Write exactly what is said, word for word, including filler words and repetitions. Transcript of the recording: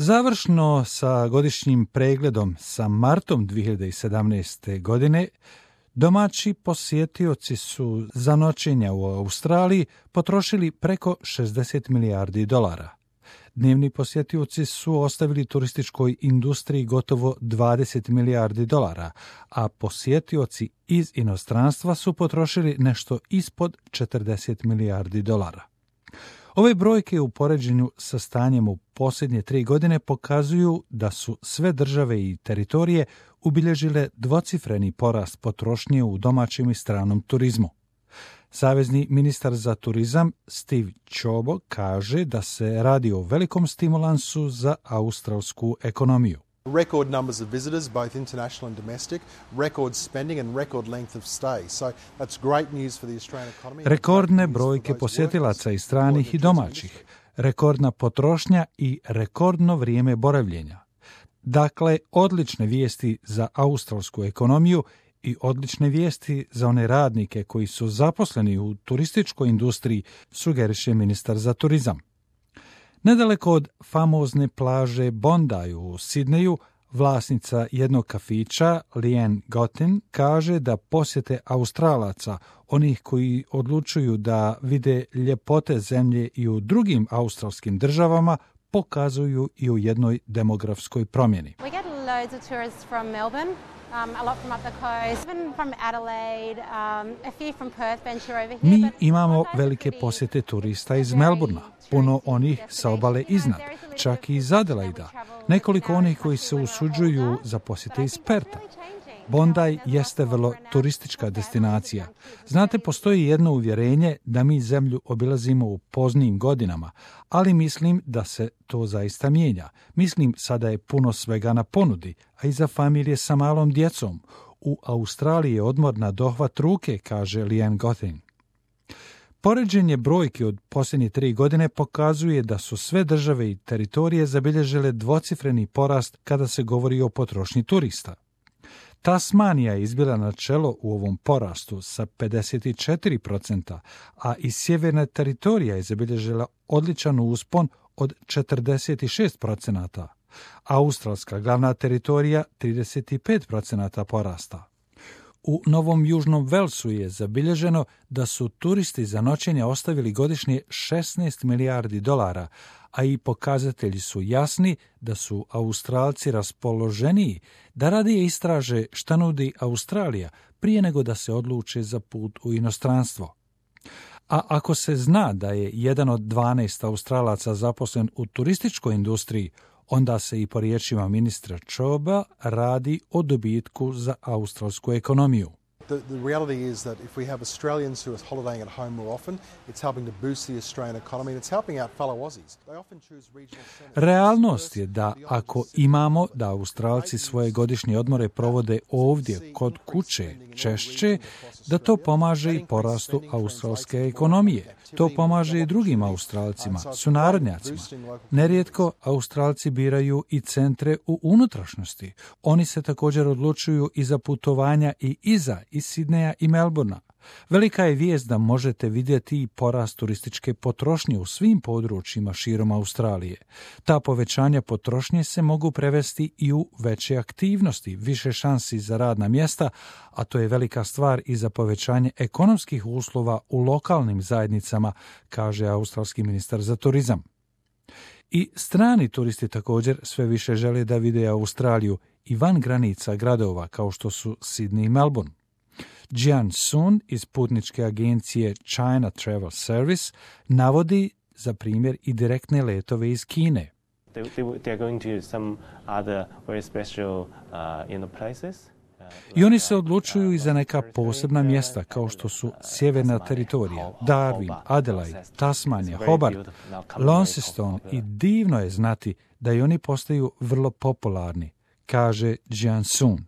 Završno sa godišnjim pregledom sa martom dvije hiljade sedamnaeste. godine, domaći posjetioci su za noćenja u Australiji potrošili preko šezdeset milijardi dolara. Dnevni posjetioci su ostavili turističkoj industriji gotovo dvadeset milijardi dolara, a posjetioci iz inostranstva su potrošili nešto ispod četrdeset milijardi dolara. Ove brojke u poređenju sa stanjem u posljednje tri godine pokazuju da su sve države i teritorije ubilježile dvocifreni porast potrošnje u domaćem i stranom turizmu. Savezni ministar za turizam Steve Ciobo kaže da se radi o velikom stimulansu za australsku ekonomiju. Record numbers of visitors, both international and domestic, record spending and record length of stay. So that's great news for the Australian economy. Rekordne brojke posjetilaca i stranih i domaćih, rekordna potrošnja i rekordno vrijeme boravljenja. Dakle, odlične vijesti za australsku ekonomiju i odlične vijesti za one radnike koji su zaposleni u turističkoj industriji, sugeriše ministar za turizam. Nedaleko od famozne plaže Bondi u Sidneju, vlasnica jednog kafića, Leanne Gotin, kaže da posjete Australaca, onih koji odlučuju da vide ljepote zemlje i u drugim australskim državama, pokazuju i u jednoj demografskoj promjeni. We get loads of tourists from Melbourne. Um, a lot from up the coast, even from Adelaide, um, a few from Perth venture over here. Mi imamo velike posjete turista iz Melburna, puno onih sa obale iznad, čak i iz Adelaida, nekoliko onih koji se usuđuju za posjete iz Perta. Bondi jeste vrlo turistička destinacija. Znate, postoji jedno uvjerenje da mi zemlju obilazimo u poznijim godinama, ali mislim da se to zaista mijenja. Mislim, sada je puno svega na ponudi, a i za familije sa malom djecom. U Australiji je odmor na dohvat ruke, kaže Leanne Gotin. Poređenje brojki od posljednje tri godine pokazuje da su sve države i teritorije zabilježile dvocifreni porast kada se govori o potrošnji turista. Tasmanija je izbila na čelo u ovom porastu sa pedeset četiri posto, a i sjeverna teritorija je zabilježila odličan uspon od četrdeset šest posto. Australska glavna teritorija trideset pet posto porasta. U Novom Južnom Velsu je zabilježeno da su turisti za noćenja ostavili godišnje šesnaest milijardi dolara, a i pokazatelji su jasni da su Australci raspoloženiji da radije istraže šta nudi Australija prije nego da se odluče za put u inostranstvo. A ako se zna da je jedan od dvanaest Australaca zaposlen u turističkoj industriji, onda se i po riječima ministra Cioba radi o dobitku za australsku ekonomiju. The, the reality is that if we have Australians who are holidaying at home more often, it's helping to boost the Australian economy and it's helping out fellow Aussies. They often choose regional centers. Realnost je da ako imamo da Australci svoje godišnje odmore provode ovdje kod kuće češće, da to pomaže i porastu australske ekonomije. To pomaže i drugim Australcima, sunarodnjacima. Nerijetko Australci biraju i centre u unutrašnjosti. Oni se također odlučuju i za putovanja i iza iz Sidneja i Melburna. Velika je vijest da možete vidjeti i porast turističke potrošnje u svim područjima širom Australije. Ta povećanja potrošnje se mogu prevesti i u veće aktivnosti, više šansi za radna mjesta, a to je velika stvar i za povećanje ekonomskih uslova u lokalnim zajednicama, kaže australski ministar za turizam. I strani turisti također sve više žele da vide Australiju i van granica gradova kao što su Sydney i Melbourne. Jian Sun iz putničke agencije China Travel Service navodi za primjer i direktne letove iz Kine. They, they, they are going to some other very special, uh, you know, places. I oni se odlučuju i za neka posebna mjesta kao što su sjeverna teritorija, Darwin, Adelaide, Tasmanija, Hobart, Launceston i divno je znati da i oni postaju vrlo popularni, kaže Jian Sun.